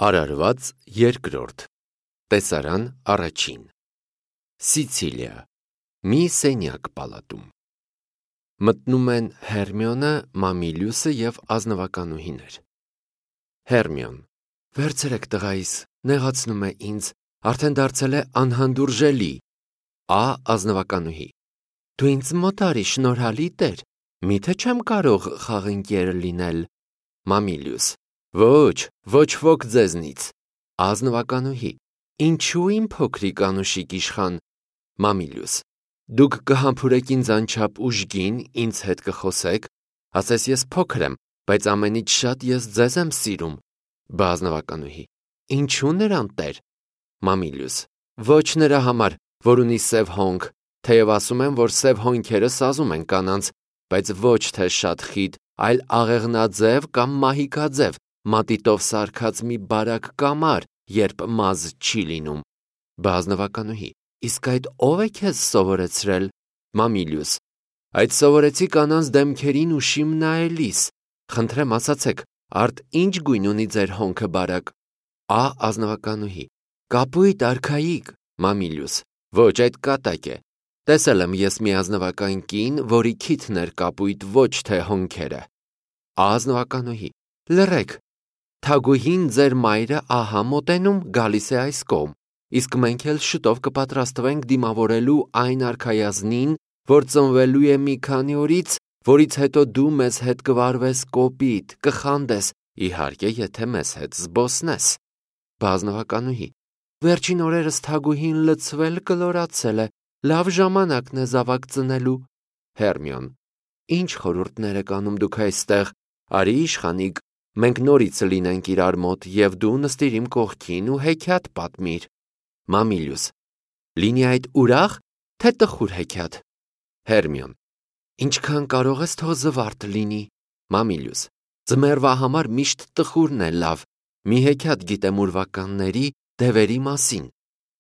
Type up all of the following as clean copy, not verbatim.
Արարված երկրորդ Տեսարան առաջին Սիցիլիա Մի սենյակ պալատում Մտնում են Հերմիոնը, Մամիլիուսը և ազնվականուհիներ։ Հերմիոն Վերցրեք տղայիս, նեղացնում է ինձ, արդեն դարձել է անհանդուրժելի։ Ազնվականուհի Դու ինձ մոտ արի, շնորհալի տեր, միթե չեմ կարող խաղընկեր լինել։ Մամիլիուս Ոչ ոք ձեզնից։ Ազնվականուհի Ինչու իմ փոքրիկ անուշիկ իշխան։ Մամիլիուս Դուք կհամբուրեք ինձ անչափ ուժգին, ինձ հետ կխոսեք, ասես ես փոքր եմ, բայց ամենից շատ ես ձեզ եմ սիրում։ Ազնվականուհի Ինչու նրան տեր։ Մամիլիուս Ոչ նրա համար, որ ունի սև հոնք, թեև ասում են, որ սև հոնքերը սազում են կանանց, բայց ոչ թե շատ խիտ, այլ աղեղնաձև կամ մահիկաձև, մատիտով սարքած մի բարակ կամար, երբ մազ չի լինում։ Ազնվականուհի Իսկ այդ ով է քեզ սովորեցրել։ Մամիլիուս Այդ սովորեցի կանանց դեմքերին ու շիմ նայելիս։ Խնդրեմ ասացեք, արդ ինչ գույն ունի ձեր հոնքը բարակ։ Ազնվականուհի Կապույտ, արքայիկ։ Մամիլիուս Ոչ, այդ կատակ է։ Տեսել եմ ես մի ազնվական կին, որի քիթն էր կապույտ, ոչ թե հոնքերը։ Ազնվականուհի Լռեք։ Թագուհին ձեր մայրը ահա մոտենում, գալիս է այս կողմ, իսկ մենք էլ շուտով կպատրաստվենք դիմավորելու այն արքայազնին, որ ծնվելու է մի քանի օրից, որից հետո դու մեզ հետ կվարվես կոպիտ, կխանդես, իհարկե, եթե մեզ հետ զբոսնես։ Ազնվականուհի Վերջին օրերս թագուհին լցվել կլորացել է, լավ ժամանակն է զավակ ծնելու։ Հերմիոն Ինչ խորհուրդներ եք անում դուք այստեղ, արի իշխանիկ, մենք նորից լինենք իրար մոտ, և դու նստիր իմ կողքին ու հեքիաթ պատմիր։ Մամիլիուս Լինի այդ ուրախ, թե տխուր հեքիաթ։ Հերմիոն Ինչքան կարող ես թող զվարթ լինի։ Մամիլիուս Ձմեռվա համար միշտ տխուրն է լավ, մի հեքիաթ գիտեմ ուրվականների, դևերի մասին։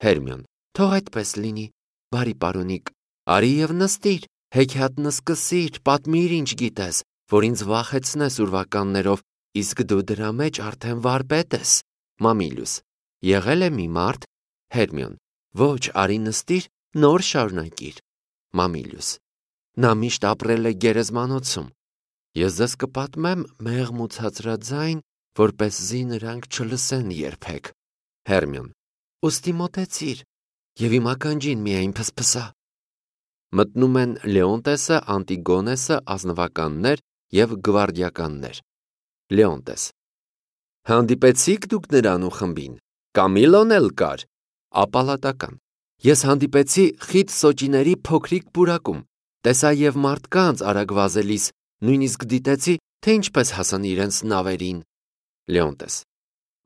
Հերմիոն Թող այդպես լինի, բարի պարոնիկ, արի և նստիր, հեքիաթն սկսիր, պատմիր ինչ գիտես, որ ինձ վախեցնես ուրվականներով, իսկ դու դրա մեջ արդեն վարպետ ես։ Մամիլիուս Եղել է մի մարդ։ Հերմիոն Ոչ, արի նստիր, նոր շարունակիր։ Մամիլիուս Նա միշտ ապրել է գերեզմանոցում։ Ես ձեզ կպատմեմ մեղմ ու ցածրաձայն, որպեսզի նրանք չլսեն երբեք։ Հերմիոն Ուստի մոտեցիր և իմ ականջին միայն փսփսա։ Մտնում են Լեոնտեսը, Անտիգոնեսը, ազնվականներ և գվարդիականներ։ Լեոնտես Հանդիպեցի՞ք դուք նրան ու խմբին։ Կամիլոն էլ կար։ Ապալատական Ես հանդիպեցի խիտ սոճիների փոքրիկ պուրակում, տեսա և մարդկանց արագ վազելիս, նույնիսկ դիտեցի, թե ինչպես հասան իրենց նավերին։ Լեոնտես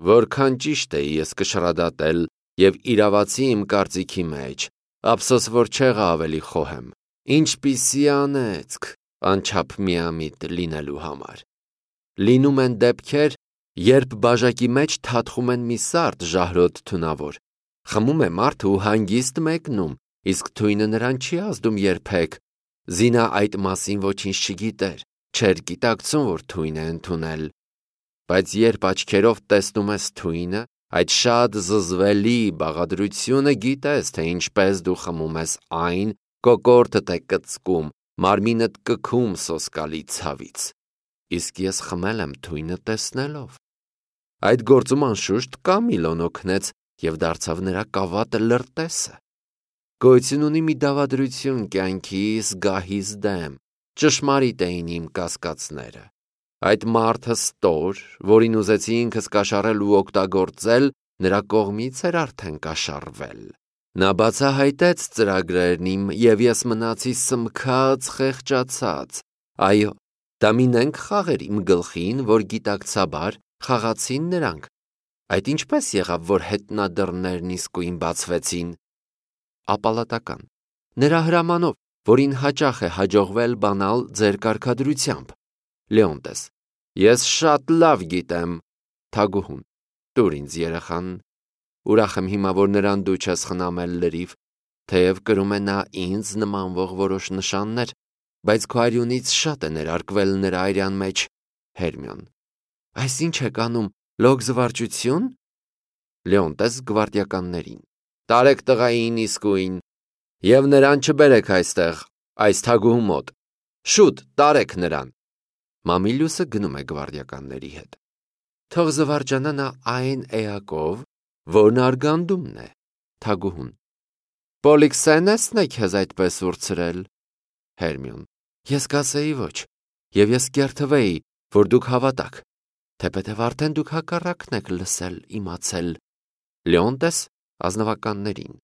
Որքան ճիշտ էի ես կշռադատել և իրավացի իմ կարծիքի մեջ, ափսոս որ չեղա ավելի խոհեմ։ Ինչպիսի անեծք, անչափ միամիտ լինելու համար։ Լինում են դեպքեր, երբ բաժակի մեջ թաթխում են մի սարդ ժահրոտ թունավոր, խմում է մարդը ու հանգիստ մեկնում, իսկ թույնը նրան չի ազդում երբեք։ Զինա այդ մասին ոչինչ չգիտեր, չէր գիտակցում, որ թույն է ընդունել։ Բայց երբ աչքերով տեսնում ես թույնը, այդ շատ զզվելի բաղադրությունը, գիտես, թե ինչպես դու խմում ես այն, կոկորդդ է կծկում, մարմինդ կքում սոսկալի ցավից։ Իսկ ես խմել եմ թույնը տեսնելով։ Այդ գործում անշուշտ Կամիլոն օգնեց և դարձավ նրա կավատը լրտեսը։ Գոյություն ունի մի դավադրություն կյանքի զգահիս դեմ, ճշմարիտ էին իմ կասկածները։ Այդ մարդը ստոր, որին ուզեցի ինքս կաշառել ու օգտագործել, նրա կողմից էր արդեն կաշառվել։ Նա բացահայտեց ծրագրերն իմ, և ես մնացի սմքած, խեղճացած։ Այո, դա մի նենգ խաղեր իմ գլխին, որ գիտակցաբար խաղացին նրանք։ Այդ ինչպես եղավ, որ հետնադռներն իսկույն բացվեցին։ Ապալատական Նրա հրամանով, որին հաճախ է հաջողվել բանալ ձեր կարգադրությամբ։ Լեոնտես Ես շատ լավ գիտեմ։ Թագուհուն Տուր ինձ երեխան։ Ուրախ եմ հիմա, որ նրան դու չես խնամել լրիվ, թեև կրում է նա ինձ նմանվող որոշ նշաններ, բայց քո արյունից շատ է ներարկվել նրա արյան մեջ։ Հերմիոն Այս ինչ եք անում, լոգ զվարճություն։ Լեոնտես գվարդիականներին. Տարեք տղային իսկույն եւ նրան չբերեք այստեղ, այս թագուհու մոտ։ Շուտ տարեք նրան։ Մամիլիուսը գնում է գվարդիականների հետ։ Թող զվարճանա նա այն էակով, որն արգանդումն է, թագուհուն։ Պոլիքսենեսն է քեզ այդպես ուրցրել։ Հերմիոն. Ես կասեի ոչ, եւ ես կերթվեի, որ դուք հավատաք, թեպետև արդեն դուք հակառակն եք լսել, իմացել։ Լեոնտես ազնվականներին.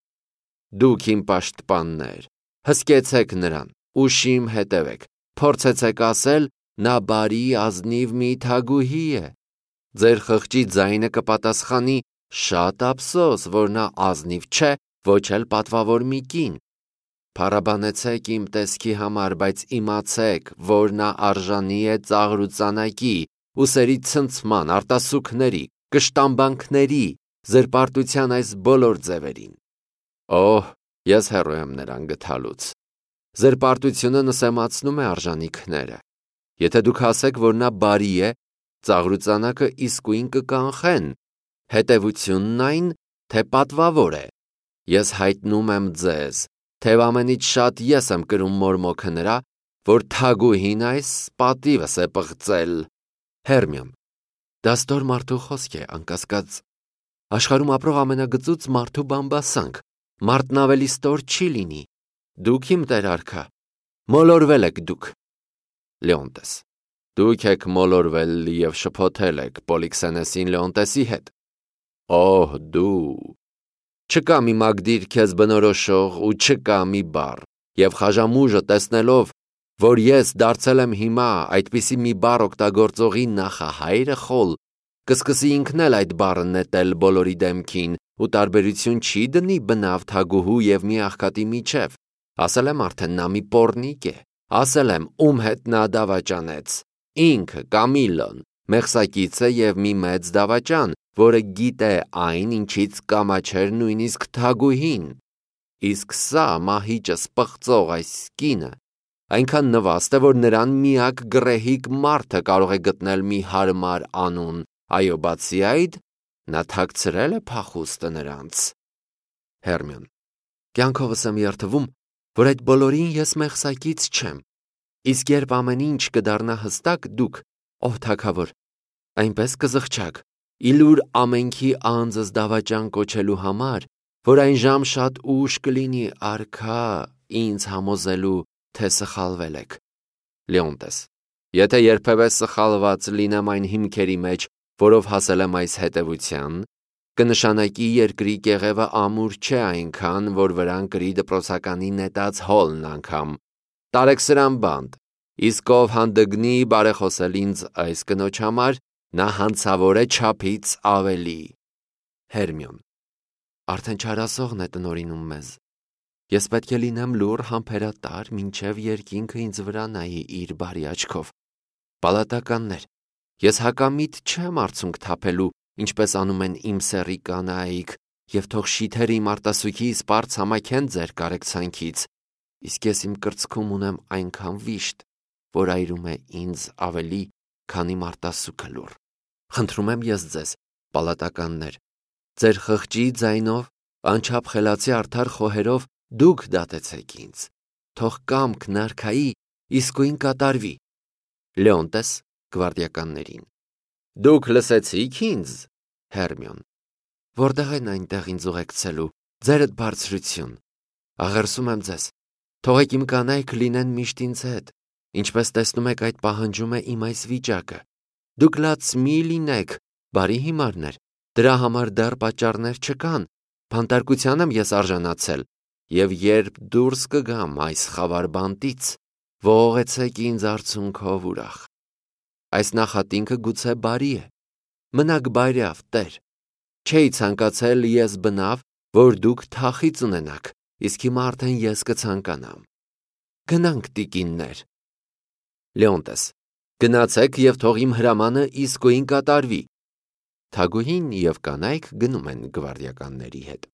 Դուք իմ պաշտպաններ, հսկեցեք նրան, ուշիմ հետևեք, փորձեցեք ասել, նա բարի ազնիվ մի թագուհի է։ Ձեր խղճի ձայնը կպատասխանի, շատ ափսոս, որ նա ազնիվ չէ, ոչ էլ պատվավոր մի կին։ Փառաբանեցեք իմ տեսքի համար, բայց իմացեք, որ նա արժանի է ծաղրուծանակի, ուսերի ցնցման, արտասուքների, կշտամբանքների, զրպարտության այս բոլոր ձևերին։ Օհ, ես հեռու եմ նրան գթալուց։ Զրպարտությունը նսեմացնում է արժանիքները։ Եթե դուք ասեք, որ նա բարի է, ծաղրուծանակը իսկույն կկանխեն, հետևությունն այն, թե պատվավոր է։ Ես հայտնում եմ ձեզ, թե ամենից շատ ես եմ կրում մորմոքը նրա, որ թագուհին այս պատիվս է պղծել։ Հերմիոն. Դա ստոր մարդու խոսք է, անկասկած։ Աշխարհում ապրող ամենագծուծ մարդու բամբասանք, մարդն ավելի ստոր չի լինի։ Դուք իմ տեր արքա, մոլորվել եք դուք։ Լեոնտես. Դուք եք մոլորվել եւ շփոթել եք Պոլիքսենեսին Լեոնտեսի հետ։ Օհ, դու։ Չկա մի մագդիր քեզ բնորոշող ու չկա մի բառ, եւ խաժամուժը տեսնելով, որ ես դարձել եմ հիմա այդպիսի մի բառ օգտագործողի նախահայրը խոլ, կսկսի ինքն էլ այդ բառը նետել բոլորի դեմքին ու տարբերություն չի դնի բնավ թագուհու եւ մի աղքատի միջև։ Ասել եմ արդեն նա մի պոռնիկ է, ասել եմ ում հետ նա դավաճանեց։ Ինքը Կամիլոն, մեղսակիցը եւ մի մեծ դավաճան, որը գիտե այն, ինչից կամաչեր նույնիսկ թագուհին։ Իսկ սա մահիճս պղծող այս կինը այնքան նվաստ է, որ նրան միակ գռեհիկ մարդը կարող է գտնել մի հարմար անուն, այո, բացի այդ, նա թաքցրել է փախուստը նրանց։ Հերմիոն. Կյանքովս եմ երդվում, որ այդ բոլորին ես մեղսակից չեմ, իսկ երբ ամեն ինչ կդառնա հստակ, դուք, ով թագավոր, այնպես կզղջաք, իլուր ամենքի անձս դավաճան կոչելու համար, որ այն ժամ շատ ուշ կլինի արքա ինձ համոզելու, թե սխալվել եք։ Լեոնտես. Եթե երբևէ սխալված լինեմ այն հիմքերի մեջ, որով հասել եմ այս հետևության, կնշանակի երկրի կեղևը ամուր չէ այնքան, որ վրան կրի դպրոցականի նետած հոլն անգամ։ Տարեք սրան բանտ, իսկ ով հանդգնի բարեխոսել ինձ այս կնոջ համար, նա հանցավոր է չափից ավելի։ Հերմիոն. Արդեն չարասողն է տնորինում մեզ։ Ես պետք է լինեմ լուռ համբերատար, մինչև երկինքը ինձ վրա նայի իր բարի աչքով։ Պալատականներ, ես հակամիտ չեմ արցունք թափելու, ինչպես անում են իմ սեռի կանայք, եւ թող շիթեր իմ արտասուքի սպառց համակեն ձեր կարեկցանքից, իսկ ես իմ կրծքում ունեմ այնքան վիշտ, որ այրում է ինձ ավելի, քան իմ արտասուքը լուռ։ Խնդրում եմ ես ձեզ, պալատականներ, ձեր խղճի ձայնով, անչափ խելացի արդար խոհերով դուք դատեցեք ինձ, թող կամքն արքայի իսկույն կատարվի։ Լեոնտես գվարդիականներին. Դուք լսեցիք ինձ։ Հերմիոն. Որտեղ են այնտեղ ինձ ուղեկցելու, ձերդ բարձրություն։ Աղերսում եմ ձեզ, թողեք իմ կանայք լինեն միշտ ինձ հետ, ինչպես տեսնում եք այդ պահանջում է իմ այս վիճակը։ Դուք լաց մի լինեք, բարի հիմարներ, դրա համար դեռ պատճառներ չկան, բանտարկության եմ ես արժանացել, եւ երբ դուրս կգամ այս խավար բանտից, ողողեցեք ինձ արցունքով ուրախ։ Այս նախատինքը գուցե բարի է, մնաք բարյավ, Տեր։ Չէի ցանկացել ես բնավ, որ դուք թախից ունենաք, իսկ հիմա արդեն ես կցանկանամ։ Գնանք, տիկիններ։ Լեոնտես. Գնացեք եւ թող իմ հրամանը իսկույն կատարվի։ Թագուհին եւ կանայք գնում են գվարդիականների հետ։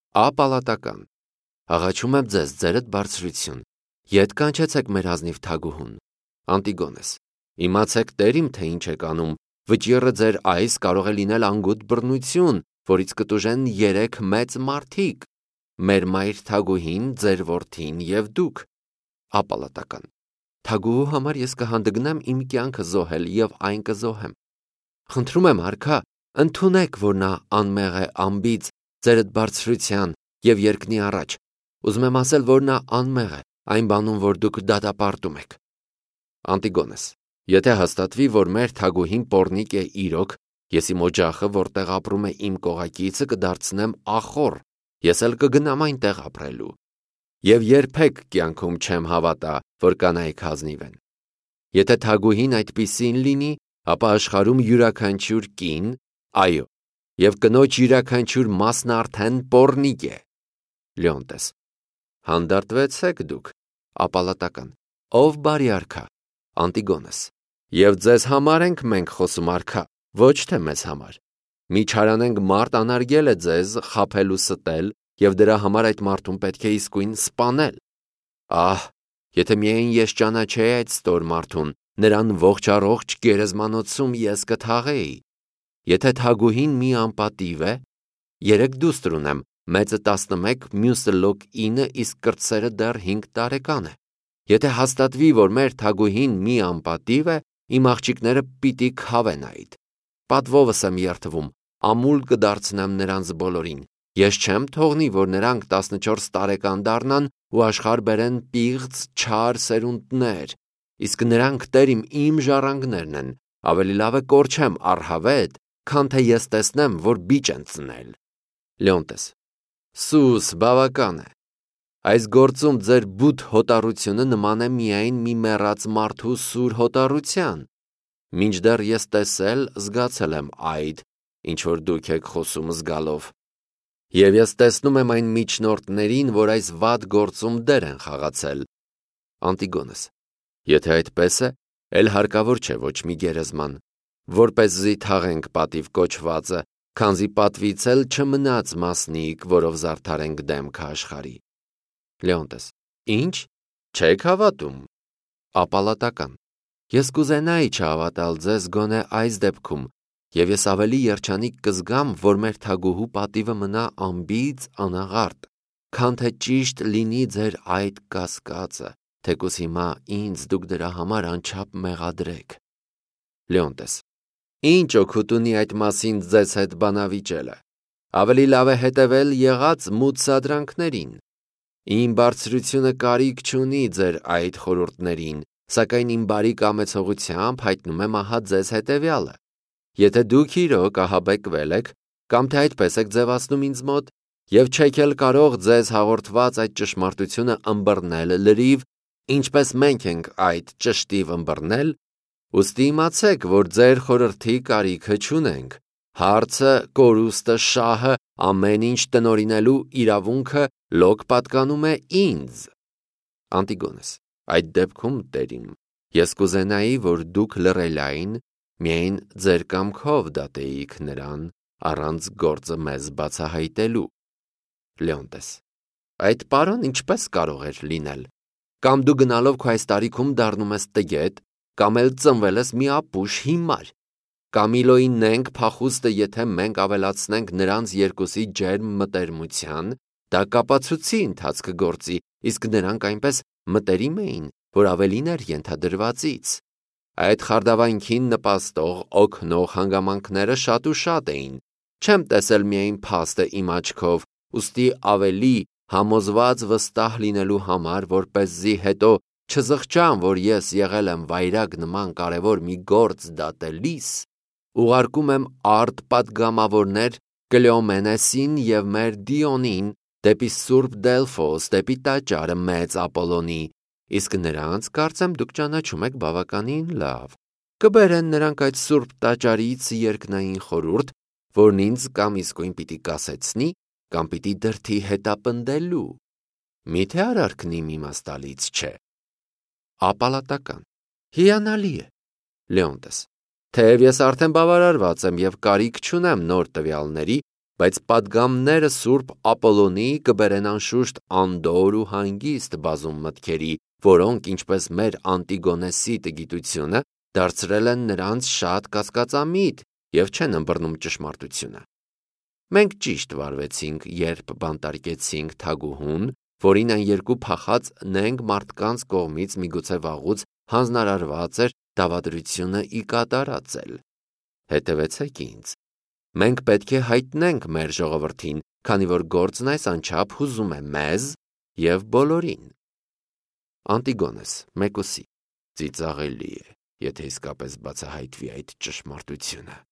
Ապալատական. Աղաչում եմ ձեզ, ձերդ բարձրություն, ետ կանչեցեք մեր ազնիվ թագուհուն։ Անտիգոնես. Իմացեք, Տեր իմ, թե ինչ եք անում, վճիռը ձեր այս կարող է լինել անգութ բռնություն, որից կտուժեն 3 մեծ մարդիկ, մեր մայր Թագուհին, ձեր որդին և դուք։ Ապալատական. Թագուհու համար ես կհանդգնեմ իմ կյանքը զոհել և այն կզոհեմ։ Խնդրում եմ, արքա, ընդունեք, որ նա անմեղ է անբիծ ձերդ բարձրության և երկնի առաջ։ Ուզում եմ ասել, որ նա անմեղ է այն բանում, որ դուք դատապարտում եք։ Անտիգոնես. Եթե հաստատվի, որ մեր Թագուհին պոռնիկ է իրոք, ես իմ օջախը, որտեղ ապրում է իմ կողակիցը, կդարձնեմ ախոռ, ես էլ կգնամ այնտեղ ապրելու։ Եվ երբեք կյանքում չեմ հավատա, որ կանայք հազնիվ են։ Եթե Թագուհին այդպիսին լինի, ապա աշխարհում յուրաքանչյուր կին, այո, եւ կնոջ յուրաքանչյուր մասն արդեն պոռնիկ է։ Լեոնտես. Հանդարտվեցեք դուք։ Ապալատական. Ով բարի արքա։ Անտիգոնես. Եվ ձեզ համար ենք մենք խոսում, արքա, ոչ թե մեզ համար։ Մի չարանենք մարդ անարգել է ձեզ խաբել ու ստել, եւ դրա համար այդ մարդուն պետք է իսկույն սպանել։ Ահ, եթե միայն ես ճանաչեի այդ ստոր մարդուն, նրան ողջ առողջ գերեզմանոցում ես կթաղեի։ Եթե Թագուհին մի անպատիվ է, 3 դուստր ունեմ, մեծը 11, մյուսը լոկ 9, իսկ կրտսերը դեռ 5 տարեկան է։ Եթե հաստատվի, որ մեր Թագուհին մի անպատիվ է, իմ աղջիկները պիտի քավեն այդ։ Պատվովս եմ երթվում, ամուլ կդարձնեմ նրանց բոլորին։ Ես չեմ թողնի, որ նրանք 14 տարեկան դառնան ու աշխարհ բերեն պիղծ չար սերունդներ, իսկ նրանք տերիմ իմ ժառանգներն են, ավելի լավ է կորչեմ առհավետ, քան թե ես տեսնեմ, որ բիճ են ծնել։ Լեոնտես. Սուս, բավական է։ Այս գործում ձեր բութ հոտառությունը նման է միայն մի մեռած մարդու սուր հոտառության։ Մինչդեռ ես տեսել, զգացել եմ այդ, ինչ որ դուք եք խոսում զգալով։ Եվ ես տեսնում եմ այն միջնորդներին, որ այս վատ գործում դեր են խաղացել։ Անտիգոնես. Եթե այդպես է, էլ հարկավոր չէ ոչ մի գերեզման, որպեսզի թաղենք պատիվ կոչվածը, քանզի պատվից էլ չմնաց մասնիկ, որով զարդարենք դեմքը աշխարհի։ Լեոնտես. Ինչ, չեք հավատում։ Ապալատական. Ես կուզենայի չհավատալ ձեզ գոնե այս դեպքում, եւ ես ավելի երջանիկ կզգամ, որ մեր Թագուհու պատիվը մնա անբիծ անաղարտ, քան թե ճիշտ լինի ձեր այդ կասկածը, թեկուզ հիմա ինձ դուք դրա համար անչափ մեղադրեք։ Լեոնտես. Ինչ օգուտ ունի այդ մասին ձեզ հետ բանավիճելը։ Ավելի լավ է հետևել եղած մութ սադրանքներին։ Իմ բարձրությունը կարիք չունի ձեր այդ խորհուրդներին, սակայն իմ բարի կամեցողությամբ հայտնում եմ ահա ձեզ հետևյալը։ Եթե դուք իրոք ահաբեկվել եք, կամ թե այդպես եք ձևացնում ինձ մոտ, եւ չեք էլ կարող ձեզ հաղորդված այդ ճշմարտությունը ըմբռնել լրիվ, ինչպես մենք ենք այդ ճշտիվ ըմբռնել, ուստի իմացեք, որ ձեր խորհրդի կարիքը չունենք։ Հարցը, կորուստը, շահը, ամեն ինչ տնօրինելու իրավունքը լոկ պատկանում է ինձ։ Անտիգոնես. Այդ դեպքում տերիմ, ես կուզենայի, որ դուք լռելային միայն ձեր կամքով դատեիք նրան առանց գործը մեզ բացահայտելու։ Լեոնտես. Այդ պարոն ինչպես կարող էր լինել։ Կամ դու գնալով քո այս տարիքում դառնում ես տգետ, կամ էլ ծնվել ես մի ապուշ հիմար։ Կամիլոյին նենք փախուստը, եթե մենք ավելացնենք նրանց երկուսի ջերմ մտերմության, դա կապացուցի ընթացքը գործի, իսկ նրանք այնպես մտերիմ էին, որ ավելին էր ենթադրվածից։ Այդ խարդավանքին նպաստող, օգնող հանգամանքները շատ ու շատ էին։ Չեմ տեսել միայն փաստը իմ աչքով, ուստի ավելի համոզված վստահ լինելու համար, որպեսզի հետո չզղջամ, որ ես եղել եմ վայրագ նման կարևոր մի գործ դատելիս, ուղարկում եմ արդ պատգամավորներ Կլեոմենեսին և մեր Դիոնին դեպի Սուրբ Դելֆոս, դեպի տաճարը մեծ Ապոլոնի, իսկ նրանց կարծեմ դուք ճանաչում եք բավականին լավ։ Կբերեն նրանք այդ Սուրբ տաճարից երկնային խորհուրդ, որն ինձ կամ իսկույն պիտի կասեցնի, կամ պիտի դրդի հետապնդելու։ Միթե արարքն իմ իմաստալից չէ։ Ապալատական. Հիանալի է։ Լեոնտես. Թեև ես արդեն բավարարված եմ և կարիք չունեմ նոր տվյալների, բայց պատգամները Սուրբ Ապոլոնի կբերեն անշուշտ անդոր ու հանգիստ բազում մտքերի, որոնք, ինչպես մեր Անտիգոնեսի տգիտությունը, դարձրել են նրանց շատ կասկածամիտ և չեն ըմբռնում ճշմարտությունը։ Մենք ճիշտ վարվեցինք, երբ բանտարկեցինք թագուհուն, որին այն երկու փախած նենգ մարդկանց կողմից միգուցե վաղուց հանձնարարված էր դավադրությունը ի կատարածել։ Հետևեցեք ինձ։ Մենք պետք է հայտնենք մեր ժողովրդին, քանի որ գործն այս անչափ հուզում է մեզ և բոլորին։ Անտիգոնես, մեկուսի, ծիծաղելի է, եթե իսկապես բացահայտվի այդ ճշմարտությունը։